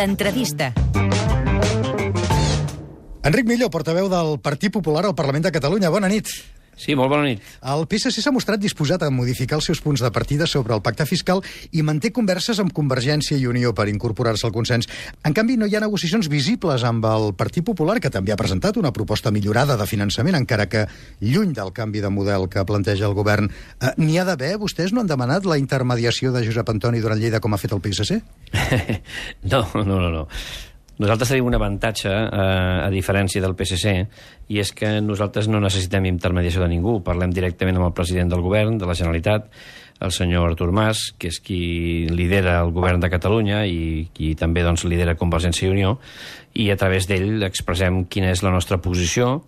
L'entrevista. Enric Millo, portaveu del Partit Popular al Parlament de Catalunya. Bona nit. Sí, molt bona nit. El PSC s'ha mostrat disposat a modificar els seus punts de partida sobre el pacte fiscal i manté converses amb Convergència i Unió per incorporar-se al consens. En canvi, no hi ha negociacions visibles amb el Partit Popular, que també ha presentat una proposta millorada de finançament, encara que lluny del canvi de model que planteja el govern. N'hi ha d'haver? Vostès no han demanat la intermediació de Josep Antoni Duran Lleida com ha fet el PSC? No. Nosaltres tenim un avantatge, a diferència del PSC, i és que nosaltres no necessitem intermediació de ningú. Parlem directament amb el president del govern, de la Generalitat, el senyor Artur Mas, que és qui lidera el govern de Catalunya i qui també lidera Convergència i Unió, i a través d'ell expressem quina és la nostra posició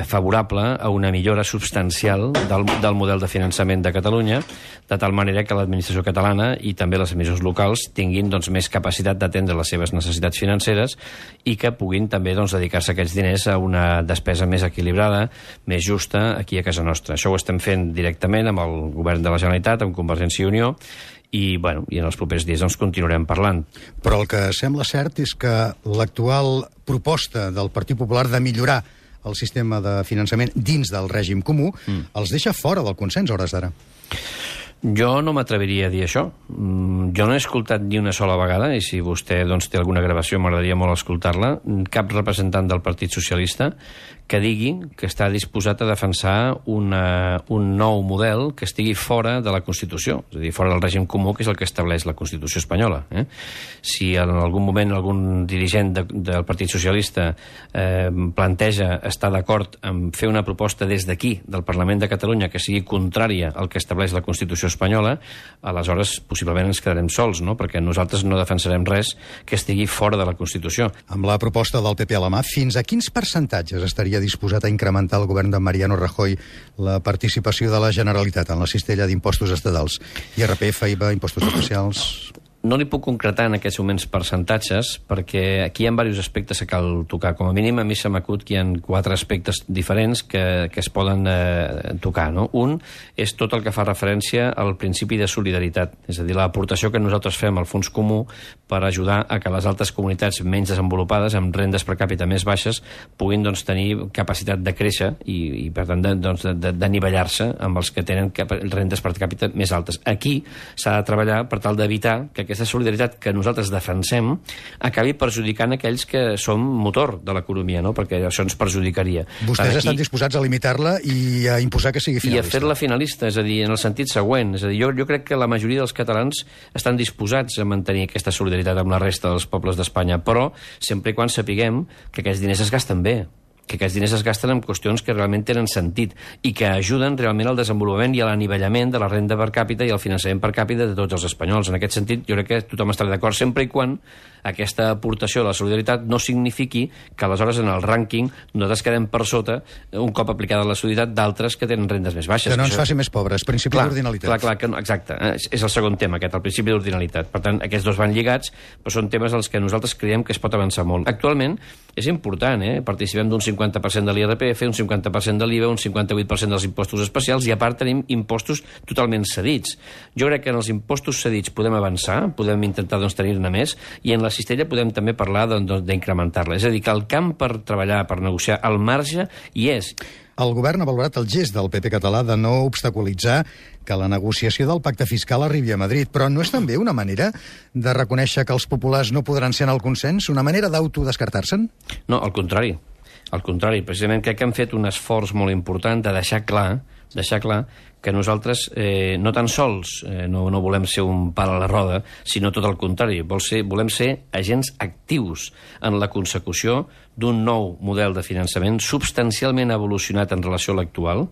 favorable a una millora substancial del model de finançament de Catalunya, de tal manera que l'administració catalana i també les administracions locals tinguin més capacitat d'atendre les seves necessitats financeres i que puguin també dedicar-se aquests diners a una despesa més equilibrada, més justa aquí a casa nostra. Això ho estem fent directament amb el govern de la Generalitat, amb Convergència i Unió, i en els propers dies continuarem parlant. Però el que sembla cert és que l'actual proposta del Partit Popular de millorar el sistema de finançament dins del règim comú els deixa fora del consens a hores d'ara. Jo no m'atreviria a dir això. Jo no he escoltat ni una sola vegada, i si vostè té alguna gravació m'agradaria molt escoltar-la, cap representant del Partit Socialista que digui que està disposat a defensar un nou model que estigui fora de la Constitució, és a dir, fora del règim comú, que és el que estableix la Constitució espanyola. Si en algun moment algun dirigent del Partit Socialista planteja estar d'acord en fer una proposta des d'aquí, del Parlament de Catalunya, que sigui contrària al que estableix la Constitució espanyola, aleshores possiblement ens quedarem sols, no? Perquè nosaltres no defensarem res que estigui fora de la Constitució. Amb la proposta del PP a la mà, fins a quins percentatges estaria disposat a incrementar el govern de Mariano Rajoy la participació de la Generalitat en la cistella d'impostos estatals? IRPF, IVA, impostos especials... No li puc concretar en aquests moments percentatges, perquè aquí hi ha diversos aspectes que cal tocar. Com a mínim, a mi se m'acut que hi ha 4 aspectes diferents que es poden tocar. No? Un és tot el que fa referència al principi de solidaritat, és a dir, l'aportació que nosaltres fem al fons comú per ajudar a que les altres comunitats menys desenvolupades, amb rendes per càpita més baixes, puguin tenir capacitat de créixer i per tant, d'anivellar-se amb els que tenen rendes per càpita més altes. Aquí s'ha de treballar per tal d'evitar que aquesta solidaritat que nosaltres defensem acabi perjudicant aquells que som motor de l'economia, no? Perquè això ens perjudicaria. Vostès estan disposats a limitar-la i a imposar que sigui finalista. I a fer-la finalista, és a dir, en el sentit següent. És a dir, jo crec que la majoria dels catalans estan disposats a mantenir aquesta solidaritat amb la resta dels pobles d'Espanya, però sempre i quan sapiguem que aquests diners es gasten bé, que aquests diners es gasten en qüestions que realment tenen sentit i que ajuden realment al desenvolupament i a l'anivellament de la renda per càpita i al finançament per càpita de tots els espanyols. En aquest sentit, jo crec que tothom estarà d'acord sempre i quan aquesta aportació a la solidaritat no signifiqui que aleshores en el rànquing nosaltres quedem per sota un cop aplicada la solidaritat d'altres que tenen rendes més baixes. Que no ens faci més pobres, principi d'ordinalitat. Clar, exacte. És el segon tema, aquest, el principi d'ordinalitat. Per tant, aquests dos van lligats, però són temes als que nosaltres creiem que es pot avançar molt. Actualment és important, participem d'un 50% de l'IRPF, un 50% de l'IVA, un 58% dels impostos especials i a part tenim impostos totalment cedits. Jo crec que en els impostos cedits podem avançar, podem intentar tenir-ne més, i en la cistella podem també parlar d'incrementar-la. És a dir, que el camp per treballar, per negociar, al marge hi és. El govern ha valorat el gest del PP català de no obstaculitzar que la negociació del pacte fiscal arribi a Madrid, però no és també una manera de reconèixer que els populars no podran ser en el consens? Una manera d'autodescartar-se'n? No, al contrari. Al contrari, precisament crec que hem fet un esforç molt important de deixar clar que nosaltres no tan sols no volem ser un pal a la roda, sinó tot el contrari. Volem ser agents actius en la consecució d'un nou model de finançament substancialment evolucionat en relació a l'actual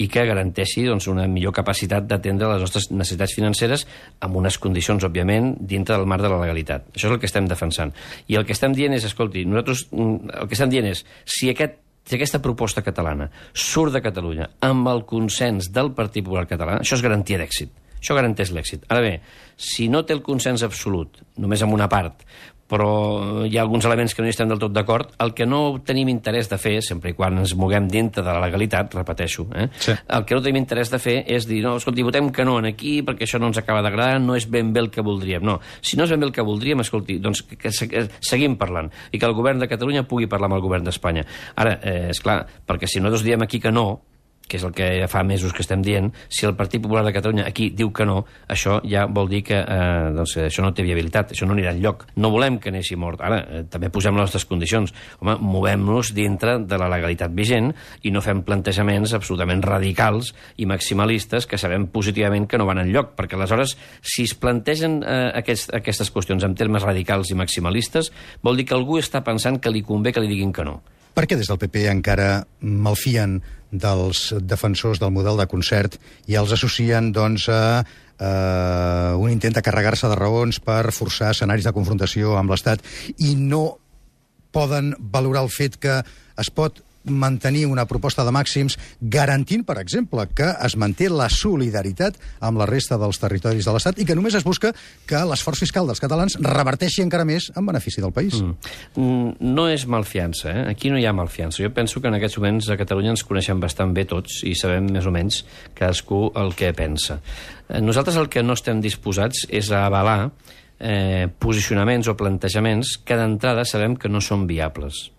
i que garanteixi una millor capacitat d'atendre les nostres necessitats financeres amb unes condicions, òbviament, dintre del marc de la legalitat. Això és el que estem defensant. I el que estem dient és, escolti, nosaltres el que estem dient és, si aquesta proposta catalana surt de Catalunya amb el consens del Partit Popular català, això és garantia d'èxit. Això garanteix l'èxit. Ara bé, si no té el consens absolut, només amb una part, però hi ha alguns elements que no hi estem del tot d'acord. El que no tenim interès de fer, sempre i quan ens moguem dintre de la legalitat, repeteixo, Sí. El que no tenim interès de fer és dir, no, escolti, votem que no en aquí perquè això no ens acaba d'agradar, no és ben bé el que voldríem. No, si no és ben bé el que voldríem, escolti, doncs que seguim parlant i que el govern de Catalunya pugui parlar amb el govern d'Espanya. Ara, és clar, perquè si nosaltres diem aquí que no, que és el que fa mesos que estem dient, si el Partit Popular de Catalunya aquí diu que no, això ja vol dir que doncs, això no té viabilitat, això no anirà enlloc. No volem que neixi mort. Ara, també posem les nostres condicions. Home, movem-nos dintre de la legalitat vigent i no fem plantejaments absolutament radicals i maximalistes que sabem positivament que no van enlloc, perquè aleshores, si es plantegen aquestes qüestions en termes radicals i maximalistes, vol dir que algú està pensant que li convé que li diguin que no. Per què des del PP encara malfien dels defensors del model de concert i els associen, doncs, a un intent de carregar-se de raons per forçar escenaris de confrontació amb l'Estat i no poden valorar el fet que es pot mantenir una proposta de màxims garantint, per exemple, que es manté la solidaritat amb la resta dels territoris de l'Estat i que només es busca que l'esforç fiscal dels catalans reverteixi encara més en benefici del país. No és malfiança, Aquí no hi ha malfiança. Jo penso que en aquests moments a Catalunya ens coneixem bastant bé tots i sabem més o menys cadascú el que pensa. Nosaltres el que no estem disposats és a avalar posicionaments o plantejaments que d'entrada sabem que no són viables.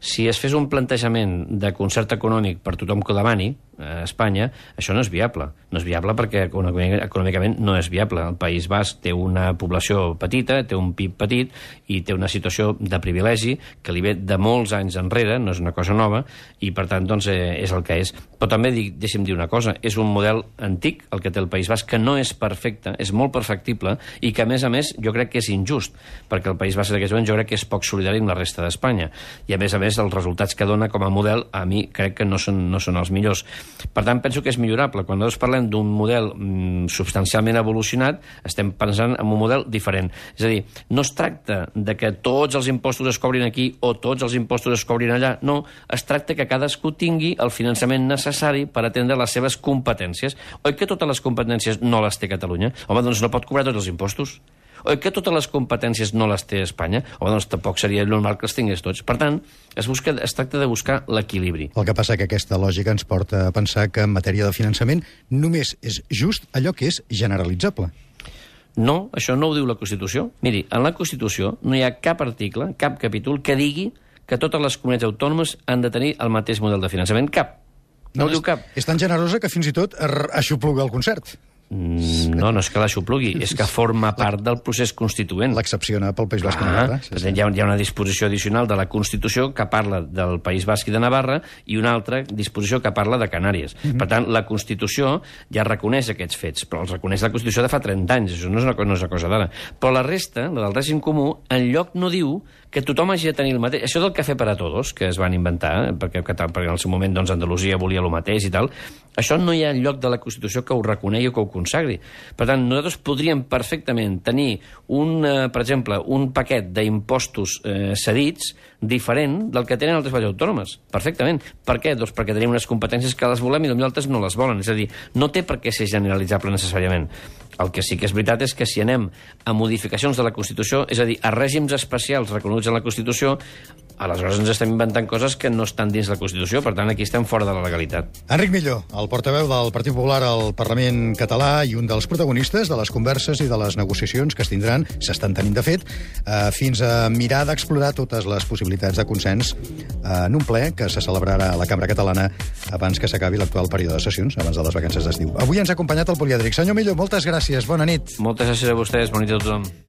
Si es fes un plantejament de concert econòmic per tothom que ho demani a Espanya, això no és viable. No és viable perquè econòmicament no és viable. El País Basc té una població petita, té un PIB petit i té una situació de privilegi que li ve de molts anys enrere, no és una cosa nova, i per tant doncs, és el que és. Però també deixi'm dir una cosa, és un model antic, el que té el País Basc, que no és perfecte, és molt perfectible i que a més jo crec que és injust, perquè el País Basc en aquests moments jo crec que és poc solidari amb la resta d'Espanya. I a més els resultats que dona com a model a mi crec que no són els millors. Per tant, penso que és millorable. Quan nosaltres parlem d'un model substancialment evolucionat, estem pensant en un model diferent. És a dir, no es tracta de que tots els impostos es cobrin aquí o tots els impostos es cobrin allà. No, es tracta que cadascú tingui el finançament necessari per atendre les seves competències. Oi que totes les competències no les té Catalunya? Home, doncs no pot cobrar tots els impostos. Oi que totes les competències no les té Espanya? Home, doncs tampoc seria normal que els tingués tots. Per tant, es tracta de buscar l'equilibri. El que passa que aquesta lògica ens porta a pensar que en matèria de finançament només és just allò que és generalitzable. No, això no ho diu la Constitució. Miri, en la Constitució no hi ha cap article, cap capítol que digui que totes les comunitats autònomes han de tenir el mateix model de finançament. Cap. No ho diu cap. És tan generosa que fins i tot aixopluga el concert. No és que l'aixoplugui, és que forma part del procés constituent. L'excepciona pel País Basc i Navarra. Hi ha una disposició addicional de la Constitució que parla del País Basc i de Navarra i una altra disposició que parla de Canàries. Per tant, la Constitució ja reconeix aquests fets, però els reconeix la Constitució de fa 30 anys, això no és una cosa d'ara. Però la resta, la del règim comú, enlloc no diu que tothom hagi de tenir el mateix. Això del cafè per a tots, que es van inventar, perquè en el seu moment doncs, Andalusia volia el mateix i tal, això no hi ha lloc de la Constitució que ho reconegui o que ho consagri. Per tant, nosaltres podríem perfectament tenir, per exemple, un paquet d'impostos cedits diferent del que tenen altres comunitats autònomes. Perfectament. Per què? Doncs perquè tenim unes competències que les volem i potser altres no les volen. És a dir, no té per què ser generalitzable necessàriament. El que sí que és veritat és que si anem a modificacions de la Constitució, és a dir, a règims especials reconeguts en la Constitució, aleshores ens estem inventant coses que no estan dins la Constitució, per tant, aquí estem fora de la legalitat. Enric Millo, el portaveu del Partit Popular al Parlament català i un dels protagonistes de les converses i de les negociacions que es tindran, s'estan tenint de fet, fins a mirar d'explorar totes les possibilitats de consens en un ple que se celebrarà a la Cambra Catalana abans que s'acabi l'actual període de sessions, abans de les vacances d'estiu. Avui ens ha acompanyat el polièdric. Senyor Millo, moltes gràcies, bona nit. Moltes gràcies a vostès, bona nit a tothom.